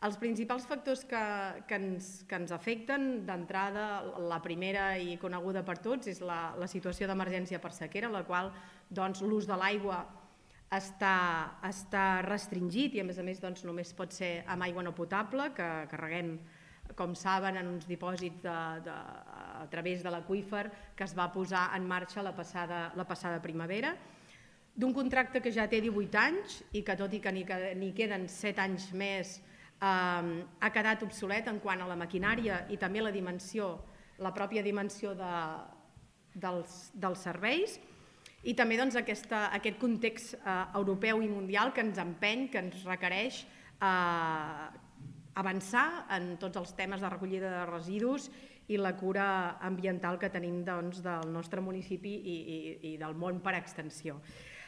Els principals factors que ens afecten, d'entrada, la primera i coneguda per tots, és la situació d'emergència per sequera, en la qual l'ús de l'aigua està restringit i a més només pot ser amb aigua no potable, que reguem, com saben, en uns dipòsits a través de l'aqüífer que es va posar en marxa la passada primavera, d'un contracte que ja té 18 anys i que, tot i que n'hi queden 7 anys més, ha quedat obsolet en quant a la maquinària i també la pròpia dimensió dels serveis, i també aquest context europeu i mundial que ens empeny, que ens requereix avançar en tots els temes de recollida de residus i la cura ambiental que tenim del nostre municipi i del món per extensió.